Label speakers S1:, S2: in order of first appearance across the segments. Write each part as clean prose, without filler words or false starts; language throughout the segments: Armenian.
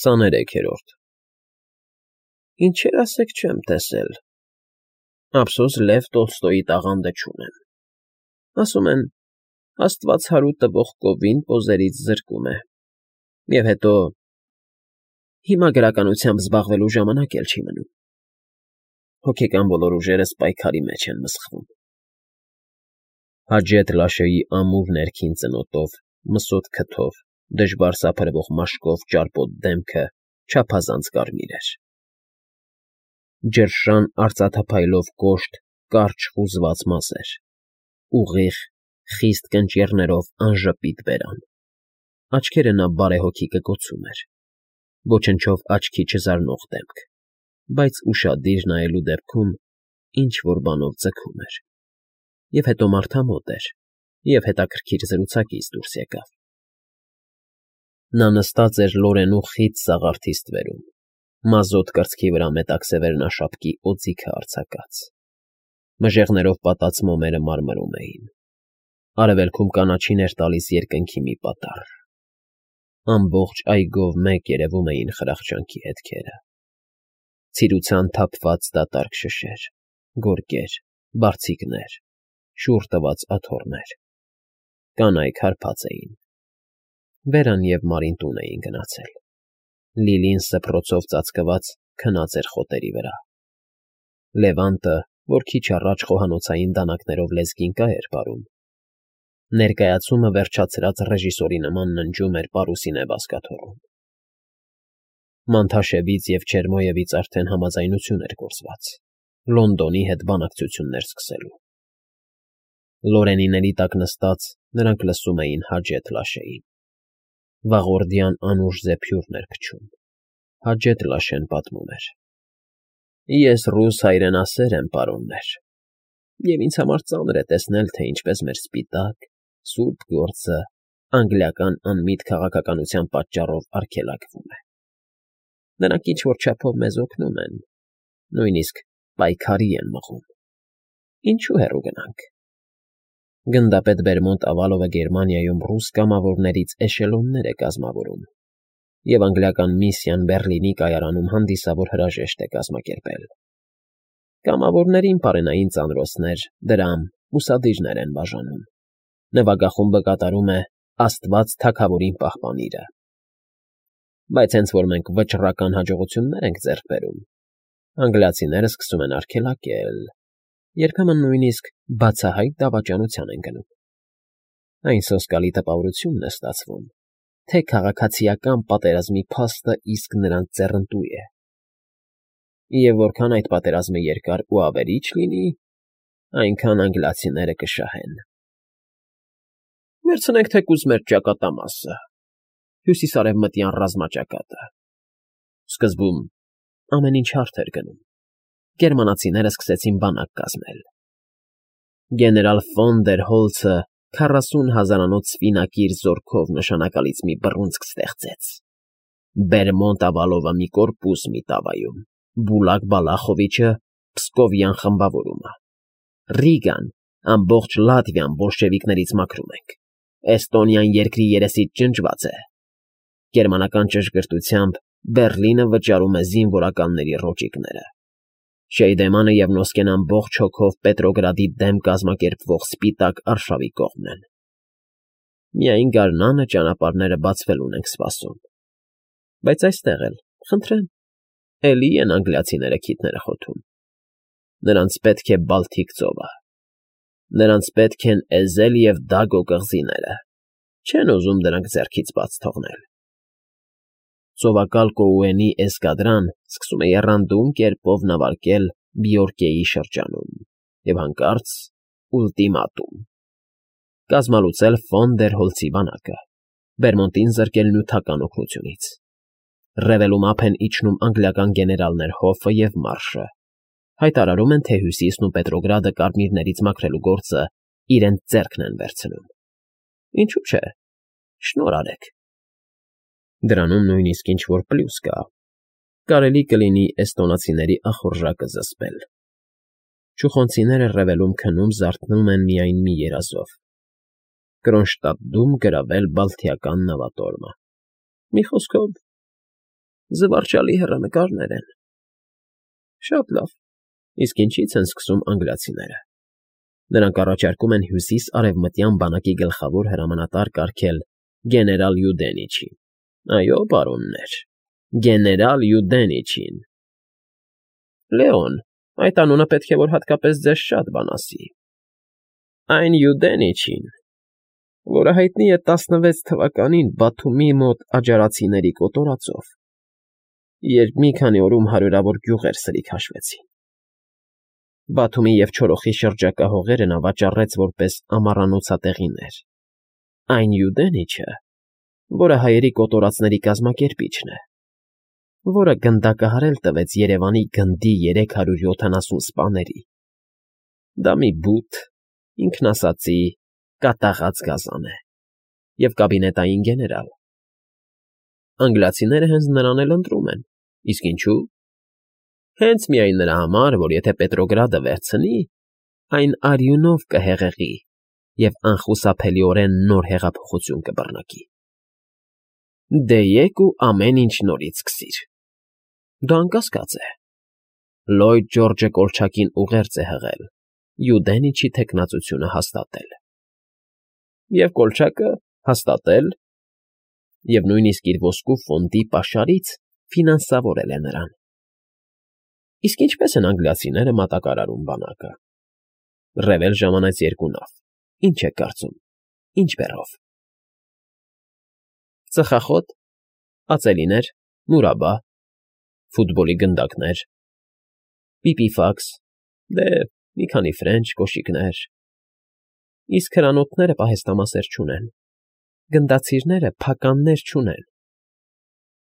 S1: 23-րդ Ինչեր ասեք չեմ տեսել, ափսոս Լև Տոլստոյի տաղանդը չունեմ, ասում են, աստված հարու տվող կովին պոզերից զրկում է, և հետո հիմա գրականությամբ զբաղվելու ժամանակ էլ չի մնում, հոգեկան բոլոր ուժերս պայքարի մեջ են մսխվում։ Հաջեթ Լաշեի ամուր ներքին ծնոտով, մսոտ քթով, դժվար սափրվող մաշկով ճարպոտ դեմքը չափազանց կարմիր էր։ Ջրշան արծաթափայլով կոշտ, կարճ խուզված մազեր, ուղիղ, խիստ կնճիռներով անժպիտ բերան, աչքերը նա բարեհոգի կկոցում էր, ոչնչով աչքի չզարնող դեմք, բայց ուշադիր նայելու դեպքում ինչ֊որ բանով ձգում էր, և հետո մարդամոտ էր, և հետաքրքիր զրուցակից դուրս եկավ։ Նա նստած էր լորենու խիտ սաղարթի ստվերում, մազոտ կրծքի վրա մետաքսևեռնաշապկի օձիքը արձակած, մժեղներով պատած մոմերը մարմրում էին, արևելքում կանաչին էր տալիս երկնքի մի պատառ, ամբողջ այգով մեկ երևում էին խրախճանքի հետքերը, ցիրուցան թափված դատարկ շշեր, գորգեր, բարձիկներ, շուռ տված աթոռներ, կանայք հարբած էին, Վերան և Մարին տուն էին գնացել, Լիլին սփռոցով ծածկված քնած էր խոտերի վրա, Լևանտը, որ քիչ առաջ խոհանոցային դանակներով լեզգինկա էր պարում, ներկայացումը վերջացրած ռեժիսորի նման ննջում էր պարուսինե բազկաթոռում։ Մանթաշևից և Չերմոյևից արդեն համաձայնություն էր գործված, Լոնդոնի հետ բանակցություններ սկսելու։ Լորենիների տակ նստած նրանք լսում էին Հաջեթ Լաշեին։ Վաղորդյան անուշ զեփյուռն էր փչում, Հաջեթ Լաշեն պատմում էր. Ես ռուս հայրենասեր եմ, պարոններ, և ինձ համար ծանր է տեսնել, թե ինչպես մեր սպիտակ, սուրբ գործը անգլիական անմիտ քաղաքականության պատճառով արգելակվում է։ Նրանք ինչ֊որ չափով մեզ օգնում են, նույնիսկ պայքարի են մղում։ Ինչու հեռու գնանք։ Գնդապետ Բերմոնտ Ավալովը Գերմանիայում ռուս կամավորներից էշելոններ է կազմավորում, և անգլիական միսիան Բեռլինի կայարանում հանդիսավոր հրաժեշտ է կազմակերպել։ Կամավորներին պարենային ծանրոցներ, դրամ, ուսադիրներ են բաժանում։ Նվագախումբը կատարում է «Աստված թագավորին պահպանիր»֊ը։ Բայց հենց որ մենք վճռական հաջողություններ ենք ձեռք բերում, անգլիացիները սկսում են արգելակել, երբեմն նույնիսկ բացահայտ դավաճանության են գնում։ Այն սոսկալի տպավորությունն է ստացվում, թե քաղաքացիական պատերազմի փաստը իսկ նրանց ձեռնտու է։ Եվ որքան այդ պատերազմը երկար ու ավերիչ լինի, այնքան անգլիացիները կշահեն։ Վերցնենք թեկուզ մեր ճակատամասը, հյուսիսարևմտյան ռազմաճակատը։ Սկզբում ամեն ինչ հարթ էր գնում, գերմանացիները սկսեցին բանակ կազմել։ Գեներալ ֆոն դեր Հոլցը 40,000-անոց սպինակիր զորքով նշանակալից մի բռունցք ստեղծեց։ Բերմոնտ Ավալովը մի կորպուս Միտավայում, Բուլակ Բալախովիչը Պսկովյան խմբավորումը, Ռիգան ամբողջ Լատվիան բոլշևիկներից մաքրում ենք, Էստոնիան երկրի երեսից ջնջված է։ Գերմանական ճշգրտությամբ Բեռլինը վճարում է զինվորականների ռոճիկները։ Շեյդեմանը և Նոսկեն ամբողջ հոգով Պետրոգրադի դեմ կազմակերպվող սպիտակ արշավի կողմն են։ Միայն գարնանը ճանապարհները բացվելուն ենք սպասում։ Բայց այստեղ էլ, խնդրեմ, էլի են անգլիացիները քիթները խոթում։ Նրանց պետք է Բալթիկ ծովը։ Նրանց պետք են Էզել և Դագո կղզիները, չեն ուզում դրանք ձեռքից բաց թողնել։ Ծովակալ Կոուենի էսկադրան սկսում է եռանդուն կերպով նավարկել Բյորկեի շրջանում և հանկարծ ուլտիմատում. կազմալուծել Ֆոն դեր Հոլցի բանակը, Բերմոնտին զրկել նյութական օգնությունից։ Ռևելում ափ են իջնում անգլիական գեներալներ Հոֆը և Մարշը, հայտարարում են, թե Հյուսիսն ու Պետրոգրադը կարմիրներից մաքրելու գործը իրենց ձեռքն են վերցնում։ Ինչու՞ չէ, շնորհ արեք։ Դրանում նույնիսկ ինչ֊որ պլյուս կա։ Կարելի կլինի էստոնացիների ախորժակը զսպել։ Չուխոնցիները ռևելում քնում զարթնում են միայն մի երազով. Կրոնշտադտում գրավել բալթիական նավատորմը։ Մի խոսքով, Զվարճալի հեռանկարներ են։ Շատ լավ, իսկ ինչի՞ց են սկսում անգլիացիները։ Նրանք առաջարկում են հյուսիս֊արևմտյան բանակի գլխավոր հրամանատար կարգել գեներալ Յուդենիչին։ Այո, պարոններ, գեներալ Յուդենիչին։ Լեոն, այդ անունը պետք է որ հատկապես ձեզ շատ բան ասի։ Այն Յուդենիչին, որը հայտնի է 16 թվականին Բաթումի մոտ աջարացիների կոտորածով, երբ մի քանի օրում հարյուրավոր գյուղեր սրիկ հաշվեցին։ Բաթումի և Չորոխի շրջակա հողերը նա վաճառեց որպես ամառանոցատեղիներ։ Այն Յուդենիչը, որը հայերի կոտորածների կազմակերպիչն է, որը գնդակահարել տվեց Երևանի գնդի 370 սպաների։ Դա մի բութ, ինքնասածի, կատաղած գազան է և կաբինետային գեներալ։ Անգլիացիները հենց նրան էլ ընտրում են, իսկ ինչու՞։ Հենց միայն նրա համար, որ եթե Պետրոգրադը վերցնի, այն արյունով կհեղեղի և անխուսափելիորեն նոր հեղափոխություն կբռնկի։ Դե եկ ու ամեն ինչ նորից սկսիր։ Դա անկասկած է։ Լոյդ Ջորջը Կոլչակին ուղերձ է հղել, Յուդենիչի թեկնածությունը հաստատել։ Եվ Կոլչակը հաստատել և նույնիսկ իր ոսկու ֆոնդի պաշարից ֆինանսավորել է նրան։ Իսկ ինչպե՞ս են անգլիացիները մատակարարում բանակը։ Ռևել ժամանեց 2 նավ։ Ինչ եք կարծում, ինչ բեռով։ Ծխախոտ, ածելիներ, մուրաբա, ֆուտբոլի գնդակներ, պիպիֆաքս, դե մի քանի ֆրենչ, կոշիկներ։ Իսկ հրանոթները պահեստամասեր չունեն, գնդացիրները փականներ չունեն։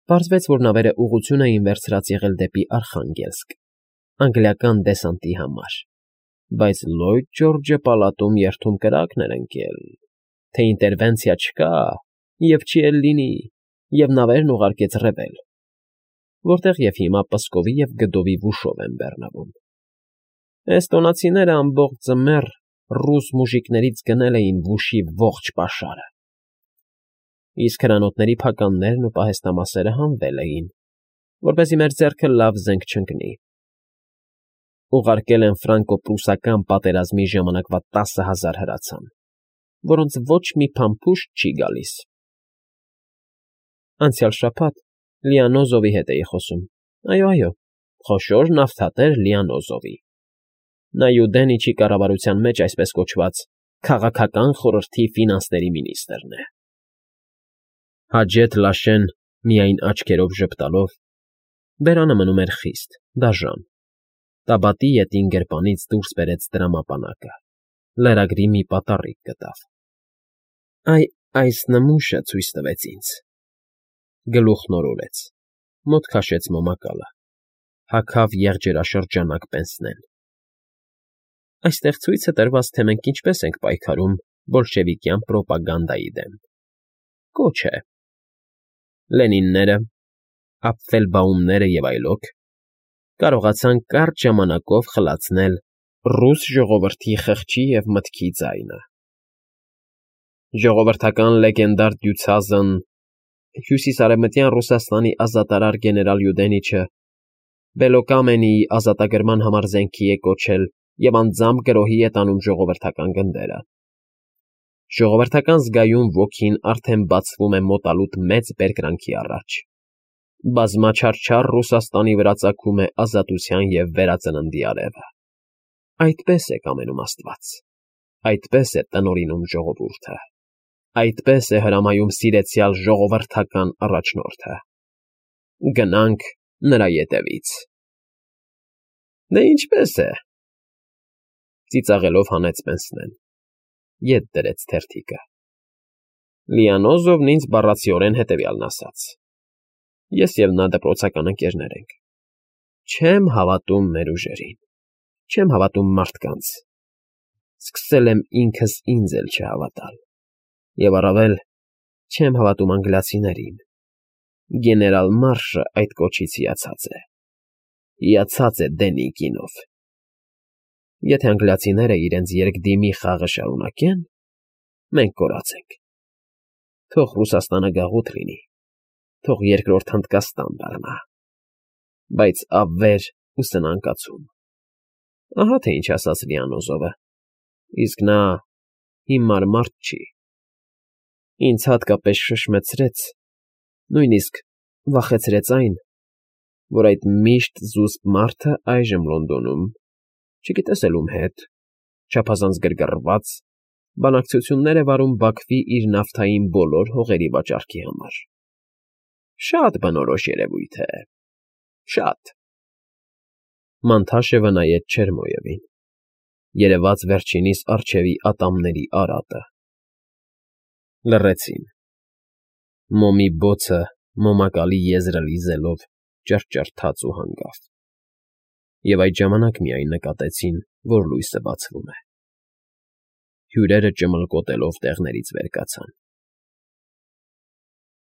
S1: Պարզվեց, որ նավերը ուղղություն էին վերցրած եղել դեպի Արխանգելսկ, անգլիական դեսանտի համար, բայց Լոյդ Ջորջը պալատում երթում կրակն էր ընկել, թե ինտերվենցիա չկա և չի էլ լինի, և նավերն ուղարկեց Ռևել, որտեղ և հիմա Պսկովի և Գդովի վուշով են բեռնվում։ Էստոնացիները ամբողջ ձմեռ ռուս մուժիկներից գնել էին վուշի ողջ պաշարը, իսկ հրանոթների փականներն ու պահեստամասերը հանվել էին, որպեսզի մեր ձեռքը լավ զենք չընկնի։ Ուղարկել են ֆրանկո֊պրուսական պատերազմի ժամանակվա 10,000 հրացան, որոնց ոչ մի փամփուշտ չի գալիս։ Անցյալ շաբաթ Լիանոզովի հետ էի խոսում։ Այո, խոշոր նավթատեր Լիանոզովի։ Նա Յուդենիչի կառավարության մեջ այսպես կոչված քաղաքական խորհրդի ֆինանսների մինիստրն է։ Հաջեթ Լաշեն միայն աչքերով ժպտալով, բերանը մնում էր խիստ, դաժան, տաբատի ետին գրպանից դուրս բերեց տրամապանակը, լրագրի մի պատառիկ գտավ։ Այս նմուշը ցույց տվեց ինձ։ Գլուխն օրորեց, մոտ քաշեց մոմակալը, հագավ եղջերաշրջանակ պենսնեն։ Այստեղ ցույց է տրված, թե մենք ինչպես ենք պայքարում բոլշևիկյան պրոպագանդայի դեմ։ Կոչ է։ Լենինները, Ապֆելբաումները և այլոք կարողացան կարճ ժամանակով խլացնել ռուս ժողովրդի խղճի և մտքի ձայնը։ Ժողովրդական լեգենդար դյուցազն, հյուսիսարևմտյան Ռուսաստանի ազատարար գեներալ Յուդենիչը Բելոկամենիի ազատագրման համար զենքի է կոչել և անձամբ գրոհի է տանում ժողովրդական գնդերը։ Ժողովրդական զգայուն ոգին արդեն բացվում է մոտալուտ մեծ բերկրանքի առաջ։ Բազմաչարչար Ռուսաստանի վրա ծագում է ազատության և վերածննդի արևը։ Այդպես է կամենում Աստված, այդպես է տնօրինում ժողովուրդը, այդպես է հրամայում սիրեցյալ ժողովրդական առաջնորդը։ Գնանք նրա ետևից։ Դե ինչպես է։ Ծիծաղելով հանեց պենսնեն, ետ դրեց թերթիկը։ Լիանոզովն ինձ բառացիորեն հետևյալն ասաց. Ես և նա դպրոցական ընկերներ ենք։ Չեմ հավատում մեր ուժերին, չեմ հավատում մարդկանց։ Սկսել եմ ինքս ինձ էլ չհավատալ։ Եվ առավել չեմ հավատում անգլիացիներին։ Գեներալ Մարշը այդ կոչից հիացած է։ Հիացած է Դենիկինով։ Եթե անգլիացիները իրենց երկդիմի խաղը շարունակեն, մենք կորած ենք։ Թող Ռուսաստանը գաղութ լինի, թող երկրորդ հնդկաստան դառնա, բայց ավեր ու սնանկացում։ Ահա թե ինչ ասաց Լիանոզովը, իսկ նա հիմար մարդ չի, ինձ հատկապես շշմեցրեց, նույնիսկ վախեցրեց այն, որ այդ միշտ զուսպ մարդը այժմ Լոնդոնում, չգիտես էլ ում հետ, չափազանց գրգռված, բանակցություններ է վարում Բաքվի իր նավթային բոլոր հողերի վաճառքի համար։ Շատ բնորոշ երևույթ է, շատ… Մանթաշևը նայեց Չերմոյևին, երևաց վերջինիս առջևի ատամների արատը։ Լռեցին։ Մոմի բոցը մոմակալի եզրերի ձելով ճռճռաց ու հանգավ, և այդ ժամանակ միայն նկատեցին, որ լույսը բացվում է։ Հյուրերը ճմլկոտելով տեղներից վեր կացան։